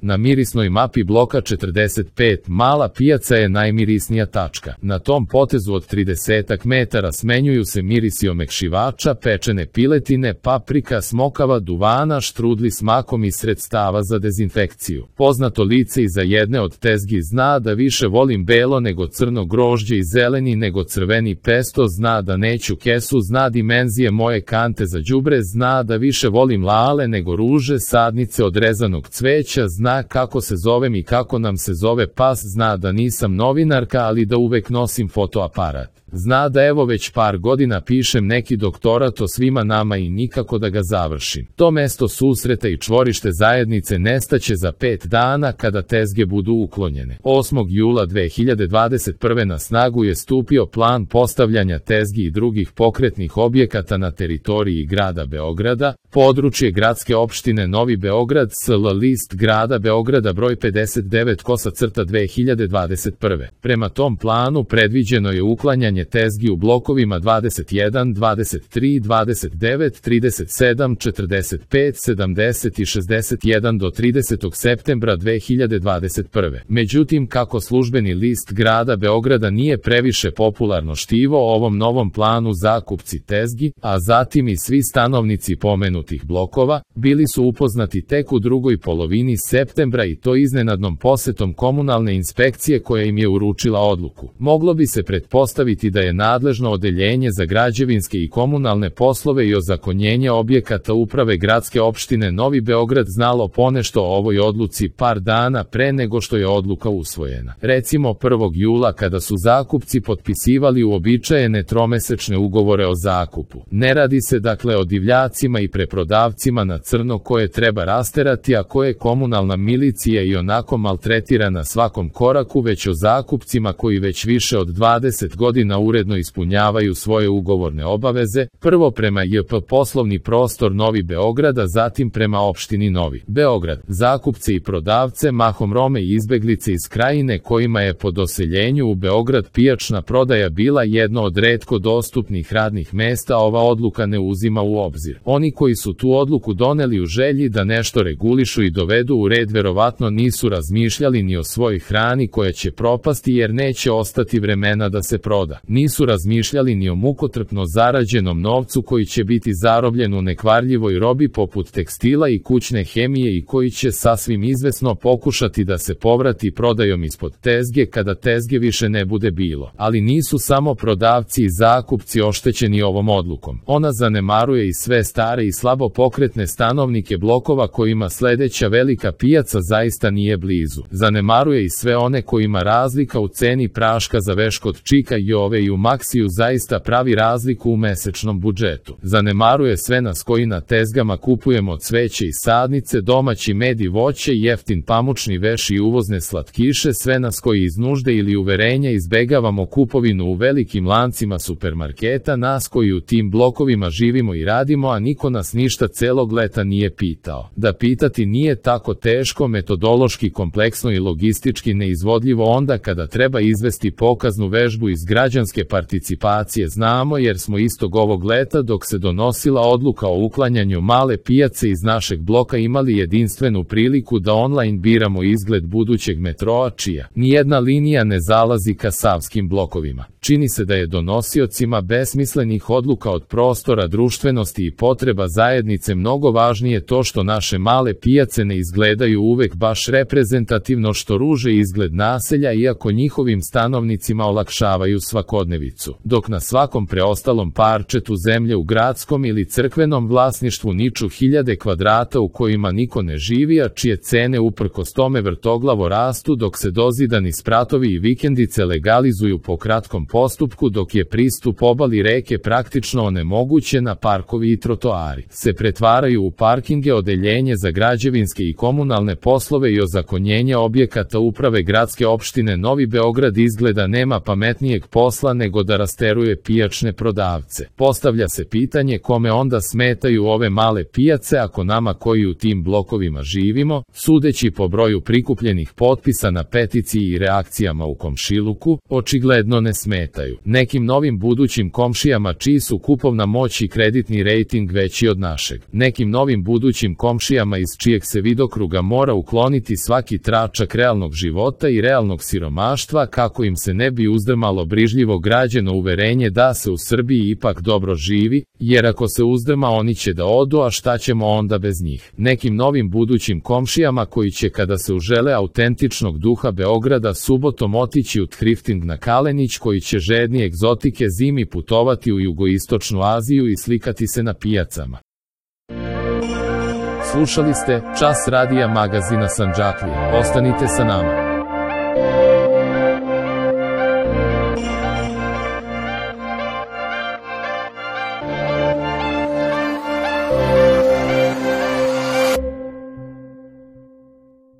Na mirisnoj mapi bloka 45 mala pijaca je najmirisnija tačka. Na tom potezu od 30 metara smenjuju se mirisi omekšivača, pečene piletine, paprika, smokava, duvana, štrudli s makom i sredstava za dezinfekciju. Poznato lice iza jedne od tezgi zna da više volim belo nego crno grožđe i zeleni nego crveni pesto, zna da neću kesu, zna dimenzije moje kante za đubre, zna da više volim lale nego ruže, sadnice od rezanog cveća, zna kako se zovem i kako nam se zove pas, zna da nisam novinarka, ali da uvek nosim fotoaparat. Zna da evo već par godina pišem neki doktorat o svima nama i nikako da ga završim. To mesto susreta i čvorište zajednice nestaće za 5 dana kada tezge budu uklonjene. 8. jula 2021. na snagu je stupio plan postavljanja tezgi i drugih pokretnih objekata na teritoriji grada Beograda, područje gradske opštine Novi Beograd, SL list grada Beograda broj 59/2021. Prema tom planu predviđeno je uklanjanje tezgi u blokovima 21, 23, 29, 37, 45, 70 i 61 do 30. septembra 2021. Međutim, kako službeni list grada Beograda nije previše popularno štivo ovom novom planu, zakupci tezgi, a zatim i svi stanovnici pomenutih blokova, bili su upoznati tek u drugoj polovini septembra i to iznenadnom posetom komunalne inspekcije koja im je uručila odluku. Moglo bi se pretpostaviti da je nadležno odeljenje za građevinske i komunalne poslove i ozakonjenje objekata uprave gradske opštine Novi Beograd znalo ponešto o ovoj odluci par dana pre nego što je odluka usvojena. Recimo 1. jula kada su zakupci potpisivali uobičajene tromesečne ugovore o zakupu. Ne radi se dakle o divljacima i preprodavcima na crno koje treba rasterati, a koje komunalna milicija i onako maltretira na svakom koraku, već o zakupcima koji već više od 20 godina uredno ispunjavaju svoje ugovorne obaveze, prvo prema JP Poslovni prostor Novi Beograd, a zatim prema opštini Novi Beograd. Zakupce i prodavce, mahom Rome i izbeglice iz krajine kojima je po doseljenju u Beograd pijačna prodaja bila jedno od retko dostupnih radnih mesta, ova odluka ne uzima u obzir. Oni koji su tu odluku doneli u želji da nešto regulišu i dovedu u red verovatno nisu razmišljali ni o svojoj hrani koja će propasti jer neće ostati vremena da se proda. Nisu razmišljali ni o mukotrpno zarađenom novcu koji će biti zarobljen u nekvarljivoj robi poput tekstila i kućne hemije i koji će sasvim izvesno pokušati da se povrati prodajom ispod tezge kada tezge više ne bude bilo. Ali nisu samo prodavci i zakupci oštećeni ovom odlukom. Ona zanemaruje i sve stare i slabo pokretne stanovnike blokova kojima sledeća velika pijaca zaista nije blizu. Zanemaruje i sve one kojima razlika u ceni praška za veš kod Čika, Jove i u Maksiju zaista pravi razliku u mesečnom budžetu. Zanemaruje sve nas koji na tezgama kupujemo cveće i sadnice, domaći med i voće, jeftin pamučni veš i uvozne slatkiše, sve nas koji iz nužde ili uverenja izbegavamo kupovinu u velikim lancima supermarketa, nas koji u tim blokovima živimo i radimo, a niko nas ništa celog leta nije pitao. Da pitati nije tako teško, metodološki kompleksno i logistički neizvodljivo onda kada treba izvesti pokaznu vežbu iz građanske participacije znamo jer smo istog ovog leta dok se donosila odluka o uklanjanju male pijace iz našeg bloka imali jedinstvenu priliku da online biramo izgled budućeg metroa čija nijedna linija ne zalazi ka savskim blokovima. Čini se da je donosiocima besmislenih odluka od prostora društvenosti i potreba zajednice mnogo važnije to što naše male pijace ne izgledaju uvek baš reprezentativno, što ruže izgled naselja iako njihovim stanovnicima olakšavaju svakodnevicu, dok na svakom preostalom parčetu zemlje u gradskom ili crkvenom vlasništvu niču hiljade kvadrata u kojima niko ne živi, a čije cene uprkos tome vrtoglavo rastu dok se dozidani spratovi i vikendice legalizuju po kratkom postupku, dok je pristup obali reke praktično onemogućen, a parkovi i trotoari se pretvaraju u parkinge, odeljenje za građevinske i komunalne poslove i ozakonjenje objekata uprave gradske opštine Novi Beograd izgleda nema pametnijeg posla posla nego da rasteruje pijačne prodavce. Postavlja se pitanje kome onda smetaju ove male pijace ako nama koji u tim blokovima živimo, sudeći po broju prikupljenih potpisa na peticiji i reakcijama u komšiluku, očigledno ne smetaju. Nekim novim budućim komšijama čiji su kupovna moć i kreditni rejting veći od našeg. Nekim novim budućim komšijama iz čijeg se vidokruga mora ukloniti svaki tračak realnog života i realnog siromaštva kako im se ne bi uzdrmalo brižljivo građeno uverenje da se u Srbiji ipak dobro živi, jer ako se uzdrma oni će da odu, a šta ćemo onda bez njih. Nekim novim budućim komšijama koji će kada se užele autentičnog duha Beograda subotom otići u thrifting na Kalenić, koji će žedni egzotike zimi putovati u jugoistočnu Aziju i slikati se na pijacama. Slušali ste Čas radija magazina Sandžaklija. Ostanite sa nama.